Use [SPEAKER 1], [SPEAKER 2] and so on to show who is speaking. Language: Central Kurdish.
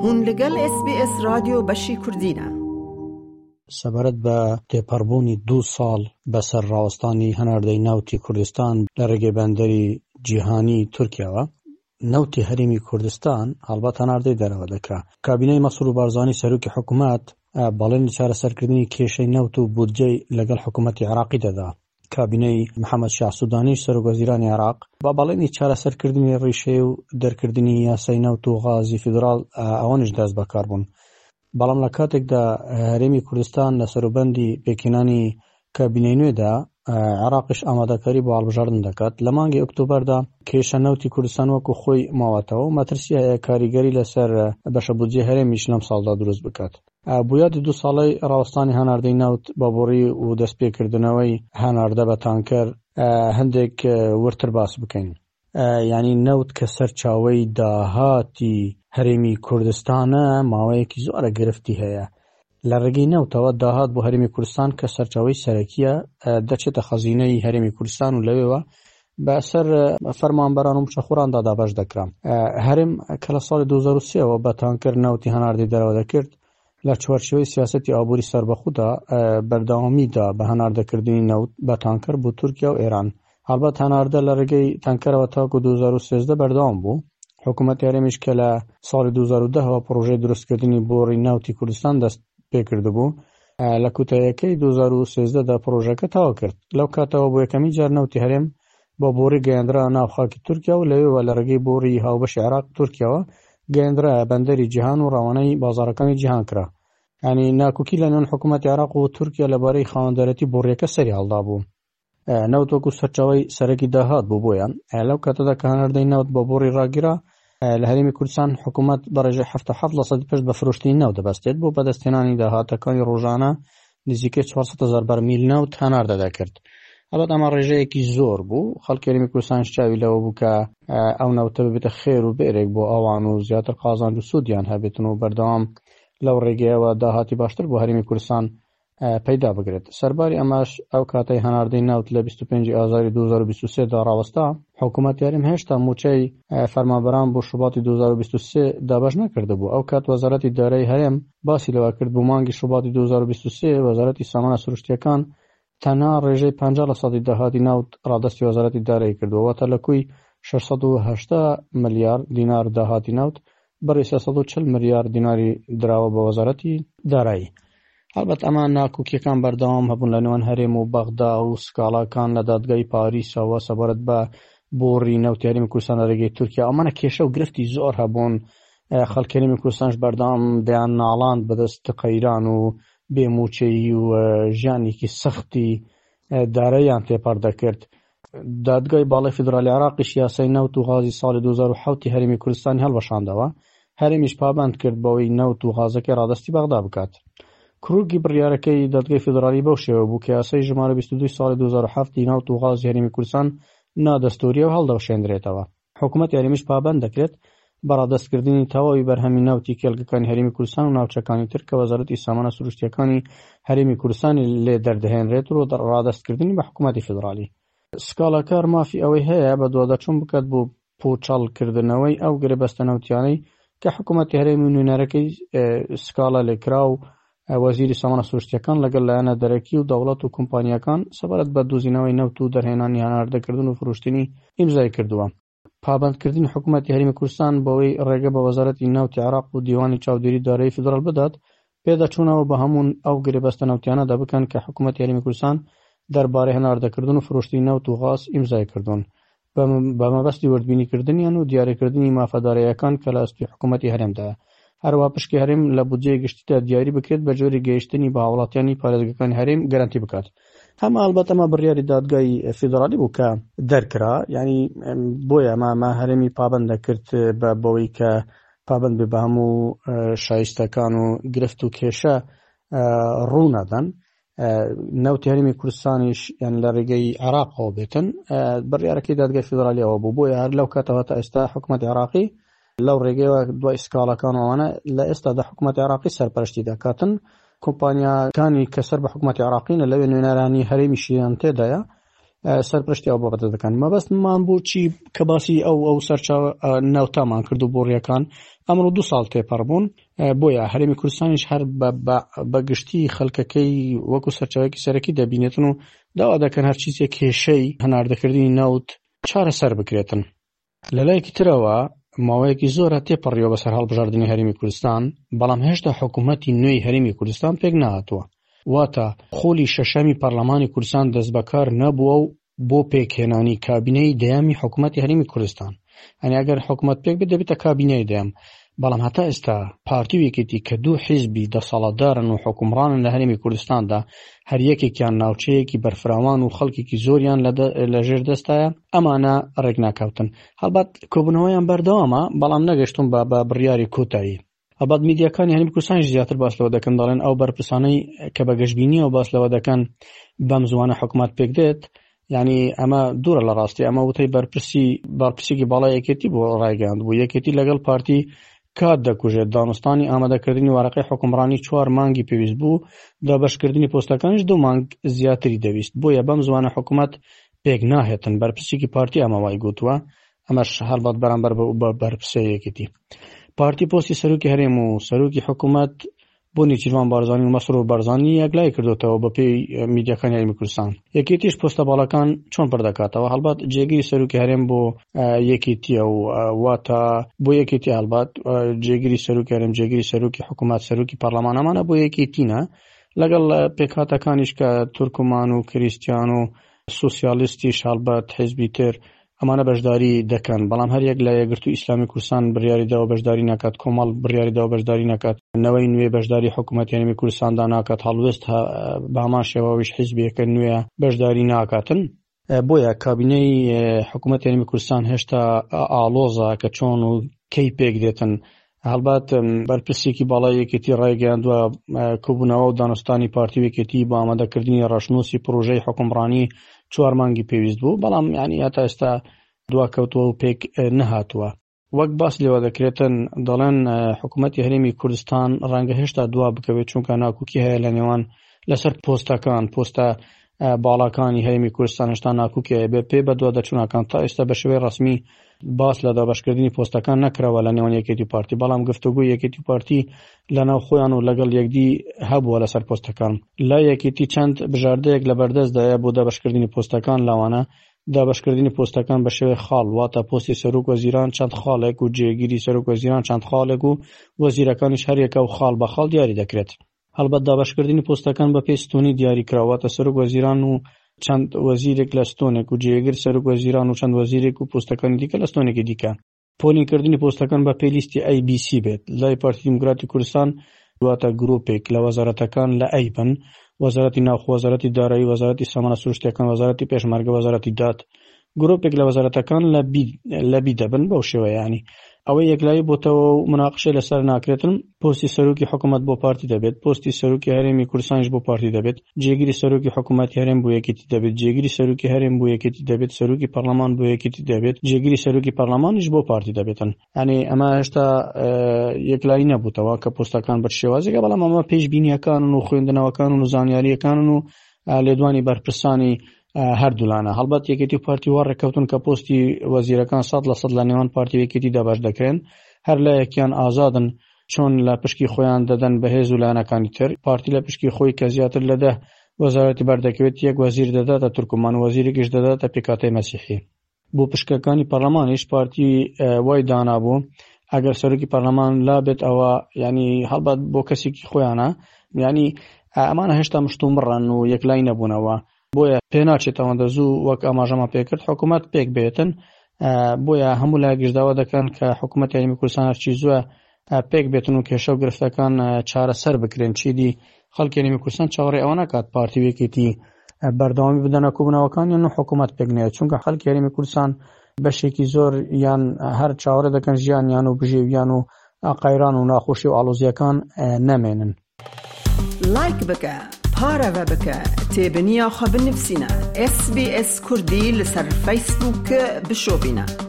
[SPEAKER 1] هون لەگەل ئێس بی ئێس رادیۆ بەشی کوردینە.
[SPEAKER 2] سەبارەت بە تێپەڕبوونی دوو ساڵ بەسەر ڕاوەستانی هەناردەی نەوتی کوردستان لە ڕێگەی بەندەری جیهانی تورکیاوە، نەوتی هەرێمی کوردستان هەڵبەت هەناردەی دەرەوە دەکرا. کابینەی مەسرور بارزانی سەرۆکی حکومەت بەڵێنی چارەسەرکردنی کێشەی نەوت و بودجەی لەگەڵ حکومەتی عێراقی دەدا. کابینەی محەمەد شیاع سودانی سەرۆکوەزیرانی عێراق بە بەڵێنی چارەسەرکردنی ڕیشەی و دەرکردنی یاسای نەوت و غازی فیدراڵ ئەوانیش دەست بەکار بوون. بەڵام لە کاتێکدا هەرێمی کوردستان لە سەروبەندی پێکهێنانی کابینەی نوێدا، عێراقیش ئامادەکاری بۆ هەڵبژاردن دەکات. لە مانگی ئۆکتۆبەردا کێشە نەوتی کوردستان وەکو خۆی ماوەتەوە و مەترسی هەیە کاریگەری لەسەر بەشە بودجەی هەرێمیش لەمساڵدا دروست بکات. بۆ یادی دوو ساڵەی ڕاوەستانی هەناردەی نەوت بە بۆڕی و دەستپێکردنەوەی هەناردە بە تانکەر هەندێک وردتر باس بکەین. یانی نەوت کە سەرچاوەی داهاتی هەرێمی کوردستانە ماوەیەکی زۆرە گرفتی هەیە. لە ڕێگەی نەوتەوە داهات بۆ هەرێمی کوردستان کە سەرچاوەی سەرەکیە دەچێتە خەزینەی هەرێمی کوردستان و لەوێوە بەسەر فەرمانبەران و مووچەخۆراندا دابەش دەکرا. هەرێم کە لە ساڵی 2003ەوە بە تانکەر نەوتی هەناردەی دەرەوە دەکرد، لە چوارچێوەی سیاسەتی ئابووری سەربەخۆدا بەردەوامی دا بە هەناردەکردنی نەوت بە تانکەر بۆ تورکیا و ئێران. هەڵبەت هەناردە لە ڕێگەی تانکەرەوە تاکو 2013 بەردەوام بوو. حکوومەتی هەرێمیش کە لە ساڵی 2010 ەوە پڕۆژەی دروستکردنی بۆڕی نەوتی کوردستان دەست پێکردبوو، لە کوتاییەکەی 2013 دا پڕۆژەکە تەواو کرد. لەو کاتەوە بۆ یەکەمین جار نەوتی هەرێم بە بۆڕی گەیەندرا ناو خاکی تورکیا و لەوێوە لە ڕێگەی بۆڕی هاوبەشی عێراق تورکیاوە گەیەندرایە بەندەری جیهان و ڕەوانەی بازاڕەکانی جیهان کرا. یانی ناکۆکی لە نێوان حکوومەتی عێراق و تورکیا لەبارەی خاوەندارێتی بۆڕییەکە سەری هەڵدابوو. نەوت وەکو سەرچاوەی سەرەکی داهات بوو بۆیان. لەو کاتەدا کە هەناردەی نەوت بە بۆڕی ڕاگیرا، لە هەرێمی کوردستان حکوومەت بە ڕێژەی 77 لەسەدی پشت بە فرۆشتنی نەوت دەبەستێت بۆ بەدەستهێنانی داهاتەکانی ڕۆژانە نزیکەی 400 هەزار بەرمیل نەوت هەناردە دەکرد. هەڵبەت ئەمە ڕێژەیەکی زۆر بوو، خەڵکی هەرێمی کوردستانیش چاوی لەوە بوو کە ئەو نەوتە ببێتە خێر و بێرێک بۆ ئەوان و زیاتر قازانج و سوودیان هەبێتن و بەردەوام لەو ڕێگەیەوە داهاتی باشتر بۆ هەرێمی کوردستان پەیدا بکرێت. سەرباری ئەمەش ئەو کاتەی هەناردەی نەوت لە 25 ئازاری 2023 دا ڕاوەستا، حکوومەتی هەرێم هێشتا مووچەی فەرمانبەران بۆ شوباتی 2023 دابەش نەکردبوو. ئەو کات وەزارەتی دارایی هەرێم باسی لەوە کرد بۆ مانگی شوباتی 2023 وەزارەتی سامانە سروشتییەکان تەنها ڕێژەی 50 لە سەدی داهاتی نەوت ڕادەستی وەزارەتی دارایی کردووە، واتە لە کۆی 680 ملیار دینار داهاتی نەوت بڕی 340 ملیار دیناری دراوە بە وەزارەتی دارایی. هەڵبەت ئەمە ناکۆکیەکان بەردەوام هەبوون لە نێوان هەرێم و بەغدا و سکاڵاکان لە دادگای پاریسەوە سەبارەت بە بۆڕی نەوتی هەرێمی کوردستان لە رێگەی تورکیا ئەمانە کێشە و گرفتی زۆر هەبوون خەڵکی هەرێمی کوردستانش بەردەوام دەیان ناڵاند بەدەست قەیران و بێ مووچەیی و ژیانێکی سەختی داراییان تێپەڕ دەکرد. دادگای باڵای فیدرالی عێراقیش یاسای نەوت و غازی ساڵی 2007 ی هەرێمی کوردستانی هەڵوەشاندەوە، هەرێمیش پابەند کرد بەوەی نەوت و غازەکەی ڕادەستی بەغدا بکات. کروگی بڕیارەکەی دادگای فیدرالی بەو شێوە بوو کە یاسای ژمارە 22 ساڵی 2007 ی نەوت و غازی هەرێمی کوردستان نادەستوورییە و هەڵدەوەشێندرێتەوە. حکومەتی هەرێمیش پابەند دەکرێت بە ڕادەستکردنی تەواوی بەرهەمی نەوتی کێڵگەکانی هەرێمی کوردستان و ناوچەکانی تر کە وەزارەتی سامانە سروشتییەکانی هەرێمی کوردستانی لێ دەردەهێنرێت و ڕادەستکردنی بە حکومەتی فیدراڵی. سکاڵاکار مافی ئەوەی هەیە بەدواداچوون بکات بۆ پووچەڵکردنەوەی ئەو گرێبەستە نەوتیانەی کە حکومەتی هەرێم و نوێنەرەکەی سکاڵا لێکراو وەزیری سامانە سروشتییەکان لەگەڵ لایەنە دەرەکی و دەوڵەت و کۆمپانیاکان سەبارەت بە دۆزینەوەی نەوت و دەرهێنانی هەناردەکردن و فرۆشتنی ئیمزای کردووە. پابەندکردنی حکومەتی هەرێمی کوردستان بەوەی ڕێگە بە وەزارەتی نەوتی عێراق و دیوانی چاودێری دارایی فیدراڵ بدات پێداچوونەوە بە هەموو ئەو گرێبەستە نەوتیانەدا بکەن کە حکومەتی هەرێمی کوردستان دەربارەی هەناردەکردن و فرۆشتنی نەوت و غاز ئیمزای کردوون بە مەبەستی وردبینیکردنیان و دیاریکردنی مافە داراییەکان کە لە ئەستۆی حکوومەتی هەرێمدایە. هەروەها پشکی هەرێم لە بودجەی گشتیدا دیاری بکرێت بە جۆرێک گەیشتنی بە هاوڵاتیانی پارێزگەکانی هەرێم گەرەنتی بکات. هەم ئەڵبەت ئەمە بڕیاری دادگای فیدرالی بوو کە دەرکرا یعنی بۆیە ئەمە ئەمە هەرێمی پابەند دەکرد بە بەوەی کە پابەند بێ بە هەموو شایستەکان و گرفت و کێشە ڕوونادەن نەوتی هەرێمی کوردستانیش یان لە ڕێگەی عێراقەوە بێتن بڕیارەکەی دادگای فیدرالیەوە بوو بۆیە هەر لەو کاتەوە تا ئێستا حکوومەت عێراقی لەو ڕێگەیەوە دوای سکاڵاکان ئەوانە لە ئێستادا حکوومەت عێراقی سەرپەرشتی دەکاتن کۆمپانیاکانی کە سەر بە حکوومەتی عێراقینە لەوێ نوێنەرانی هەرێمیشیان تێدایە. سەرپەرشتی ئەو بابەتە دەکەن. مەبەستمان بوو چی کە باسی ئەو ئەو سەرچاوە نەوتامان کرد و بۆڕیەکان ئەمڕۆ دوو ساڵ تێپەڕ بوون، بۆیە هەرێمی کوردستانیش هەر بە گشتی خەڵکەکەی وەکو سەرچاوەیەکی سەرەکی دەبینێتن و داوا دەکەن هەرچیزێک کێشەی هەناردەکردنی نەوت چارەسەر بکرێتن. لەلایەکی ترەوە ماوەیەکی زۆرە تێپەڕیوە بەسەر هەڵبژاردنی هەرێمی کوردستان، بەڵام هێشتا حکوومەتی نوێی هەرێمی کوردستان پێک نەهاتووە، واتە خولی شەشەمی پەرلەمانی کوردستان دەستبەکار نەبووە و بۆ پێکهێنانی کابینەی دەیەمی حکوومەتی هەرێمی کوردستان، یانی ئەگەر حکوومەت پێک بێت دەبێتە کابینەی دەیەم، بەڵام هەتا ئێستا پارتی و یەکێتی کە دوو حیزبی دەسەڵاتدارن و حوکمڕانن لە هەرێمی کوردستاندا، هەر یەکێکیان ناوچەیەکی بەرفراوان و خەڵکێکی زۆریان لە ژێر دەستایە، ئەمانە ڕێکناکەوتن. هەڵبەت کۆبوونەوەیان بەردەوامە، بەڵام نەگەشتوون بە بڕیاری کۆتایی. هەڵبەت میدیاکانی هەرێمی کوردستانیش زیاتر باس لەوە دەکەن، دەڵێن ئەو بەرپرسانەی کە بە گەشبینییەوە باس لەوە دەکەن بەم زووانە حکومەت پێکدێت، یعنی ئەمە دوورە لە ڕاستی ئەمە وتەی بەرپرسی بەرپرسێکی باڵای یەکێتی بۆ ڕایگەیاند بوو یەکێتی لەگەڵ پارتی کات دەکوژێت دانوستانی ئامادەکردنی وارەقەی حکومڕانی چوار مانگی پێویست بوو دابەشکردنی پۆستەکانیش دوو مانگ زیاتری دەویست بۆیە بەم زوانە حکومەت پێک ناهێتن بەرپرسێکی پارتی ئەمە وای گوتووە ئەمەش هەڵبەت بەرامبەر بە بەرپرسە یەکێتی پارتی پۆستی سەرۆکی هەرێم و سەرۆکی حکوومەت بۆ نێچیرڤان بارزانی و مەسرور بارزانی یەکلایی کردۆتەوە بەپێی میدیاکانی هەرێمی کوردستان. یەکێتیش پۆستە باڵاکان چۆن پڕ دەکاتەوە؟ هەڵبەت جێگری سەرۆکی هەرێم بۆ یەکێتیە و واتە بۆ یەکێتی هەڵبەت جێگری سەرۆکی هەرێم، جێگری سەرۆکی حکوومەت، سەرۆکی پەرلەمان ئەمانە بۆ یەکێتینە لەگەڵ پێکهاتەکانیش کە تورکمان و کریستیان و سوسیالیستیش هەڵبەت حیزبی تر ئەمانە بەشداری دەکەن، بەڵام هەریەک لە یەکگرتوو ئیسلامی کوردستان بڕیاری داوە بەشداری نەکات، کۆمەڵ بڕیاری داوە بەشداری نەکات، نەوەی نوێ بەشداری حکوومەتی هەرێمی کوردستاندا ناکات، هەڵوێست بە هەمان شێوە ئەویش حیزبێکە نوێیە بەشداری ناکاتن. بۆیە کابینەی حکوومەتی هەرێمی کوردستان هێشتا ئاڵۆزە کە چۆن و کەی پێک دێتن. هەڵبەت بەرپرسێکی باڵای یەکێتی ڕایگەیاندووە، کۆبوونەوە و دانوستانی پارتی و یەکێتی بۆ ئامادەکردنی ڕەشنووسی پڕۆژەی حوکمڕانی چوار مانگی پێویست بوو، بەڵام یانی هەتا ئێستا دواکەوتووە و پێک نەهاتووە. وەک باس لێوە دەکرێتن دەڵێن حکوومەتی هەرێمی کوردستان ڕەنگە هێشتا دوا بکەوێت، چونکە ناکۆکی هەیە لە نێوان لەسەر پۆستەکان، پۆستە باڵاکانی هەرێمی کوردستان هێشتا ناکۆکی هەیە، بە پێی بەدواداچوونەکان تا ئێستا بە شێوەی ڕەسمی باس لە دابەشکردنی پۆستەکان نەکراوە لە نێوان یەکێتی و پارتی، بەڵام گفتوگۆی یەکێتی و پارتی لەناو خۆیان و لەگەڵ یەکدی هەبووە لەسەر پۆستەکان. لای یەکێتی چەند بژاردەیەک لەبەردەستدایە بۆ دابەشکردنی پۆستەکان، لەوانە دابەشکردنی پۆستەکان بە شێوەی خاڵ، واتە پۆستی سەرۆک وەزیران چەند خاڵێک و جێگیری سەرۆک وەزیران چەند خاڵێک و وەزیرەکانیش هەریەکە و خاڵ بە خاڵ دیاری دەکرێت. هەڵبەت دابەشکردنی پۆستەکان بەپێی ستونی دیاریکراو، واتە سەرۆک وەزیران و چەند وەزیرێک لە ستونێک و جێگر سەرۆک وەزیران و چەند وەزیرێک و پۆستەکانی دیکە لە ستونێکی دیکە. پۆلینکردنی پۆستەکان بەپێی لیستی ئەی بی سی بێت، لای پارتی دیموکراتی کوردستان واتە گروپێک لە وەزارەتەکان لە ئەی بن، وەزارەتی ناوخۆ، وەزارەتی دارایی، وەزارەتی سامانە سروشتیەکان، وەزارەتی پێشمەرگە، وەزارەتی داد، گرۆپێک لە وەزارەتەکان لە بی لە بی دەبن بەو شێوەیە یانی ئەوەی یەکلایی بۆتەوە و مناقشەی لەسەر ناکرێتن پۆستی سەرۆکی حکوومەت بۆ پارتی دەبێت پۆستی سەرۆکی هەرێمی کوردستانیش بۆ پارتی دەبێت جێگری سەرۆکی حکوومەتی هەرێم بۆ یەکێتی دەبێت جێگری سەرۆکی هەرێم بۆ یەکێتی دەبێت سەرۆکی پەرلەمان بۆ یەکێتی دەبێت جێگری سەرۆکی پەرلەمانیش بۆ پارتی دەبێتن یانی ئەمە هێشتا یەکلایی نەبووتەوە کە پۆستەکان بە شێوازێکە بەڵام ئەمە پێشبینیەکانن و خوێندنەوەکان و زانیاریەکانن و لێدوانی بەرپرسانی هەردوولانە. هەڵبەت یەکێتی و پارتی وا ڕێککەوتوون کە پۆستی وەزیرەکان 100% لە نێوان پارتی و یەکێتی دابەش دەکرێن، هەر لایەکیان ئازادن چۆن لە پشکی خۆیان دەدەن بە هێز و لایەنەکانی تر. پارتی لە پشکی خۆی کە زیاتر لە دە وەزارەتی بەردەکەوێت یەک وەزیر دەداتە تورکمان و وەزیرێکیش دەداتە پێکهاتەی مەسیحی. بۆ پشکەکانی پەرلەمانیش پارتی وای دانابوو ئەگەر سەرۆکی پەرلەمان لابێت ئەوە ینی هەڵبەت بۆ کەسێکی خۆیانە ینی ئەمانە هێشتا مشتومڕن و یەکلای نەبوونەوە بۆیە پێناچێت ئەوەندە زوو وەک ئاماژەمان پێکرد حکوومەت پێک بێتن بۆیە هەموو لایەکیش داوا دەکەن کە حکوومەت هەرێمی کوردستان هەرچی زووە پێک بێتن و کێشە و گرفتەکان چارەسەر بکرێن چیدی خەڵکی هەرێمی کوردستان چاوەڕێی ئەوە ناکات پارتی و یەکێتی بەردەوامی بدەنە کۆبوونەوەکانیان و حکوومەت پێک نەیەت چونکە خەڵکی هەرێمی کوردستان بەشێکی زۆر یان هەر چاوەڕێ دەکەن ژیانیان و بژێویان و قەیران و ناخۆشی و ئاڵۆزییەکان نەمێنن.
[SPEAKER 1] لایک بکە پارەڤە بکە تێبنیا خو بنفسینە SسBS کوردی لەسەر فەیسبووک بشۆبینە.